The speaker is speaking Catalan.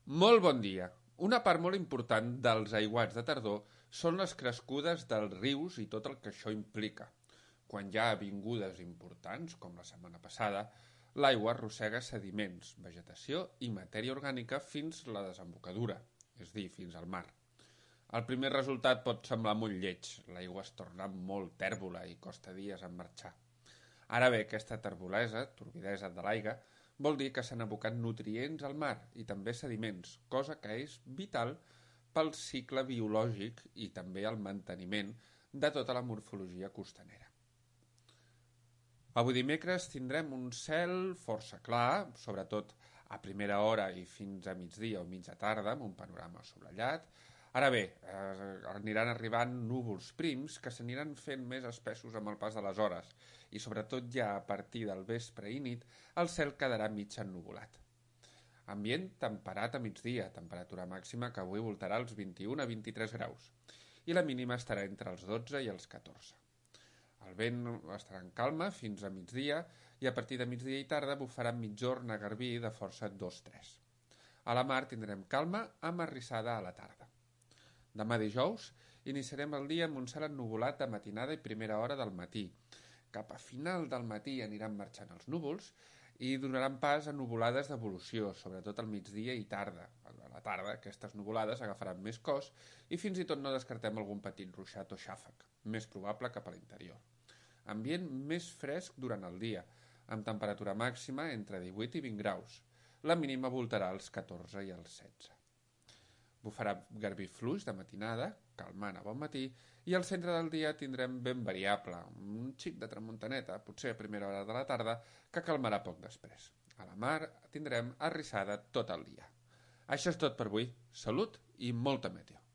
Molt bon dia. Una part molt important dels aiguats de tardor són les crescudes dels rius i tot el que això implica. Quan hi ha vingudes importants, com la setmana passada, l'aigua arrossega sediments, vegetació i matèria orgànica fins a la desembocadura, és a dir, fins al mar. El primer resultat pot semblar molt lleig, l'aigua es torna molt tèrbola i costa dies en marxar. Ara bé, aquesta turbidesa de l'aigua, vol dir que s'han abocat nutrients al mar i també sediments, cosa que és vital pel cicle biològic i també el manteniment de tota la morfologia costanera. Avui dimecres tindrem un cel força clar, sobretot a primera hora i fins a migdia o mitja tarda, amb un panorama assolellat. Ara bé, aniran arribant núvols prims que s'aniran fent més espessos amb el pas de les hores i sobretot ja a partir del vespre i nit el cel quedarà mig ennuvolat. Ambient temperat a migdia, temperatura màxima que avui voltarà als 21 a 23 graus i la mínima estarà entre els 12 i els 14. El vent estarà en calma fins a migdia i a partir de migdia i tarda bufarà migjorn a garbí de força 2-3. A la mar tindrem calma amb arrissada a la tarda. Demà dijous iniciarem el dia amb un cel ennuvolat a matinada i primera hora del matí. Cap a final del matí aniran marxant els núvols i donaran pas a nuvolades d'evolució, sobretot al migdia i tarda. A la tarda aquestes nuvolades agafaran més cos i fins i tot no descartem algun petit ruixat o xàfec, més probable cap a l'interior. Ambient més fresc durant el dia, amb temperatura màxima entre 18 i 20 graus. La mínima voltarà als 14 i als 16. Bufarà garbí fluix de matinada, calmant a bon matí, i al centre del dia tindrem vent variable, un xic de tramuntaneta, potser a primera hora de la tarda, que calmarà poc després. A la mar tindrem arrissada tot el dia. Això és tot per avui. Salut i molta meteo.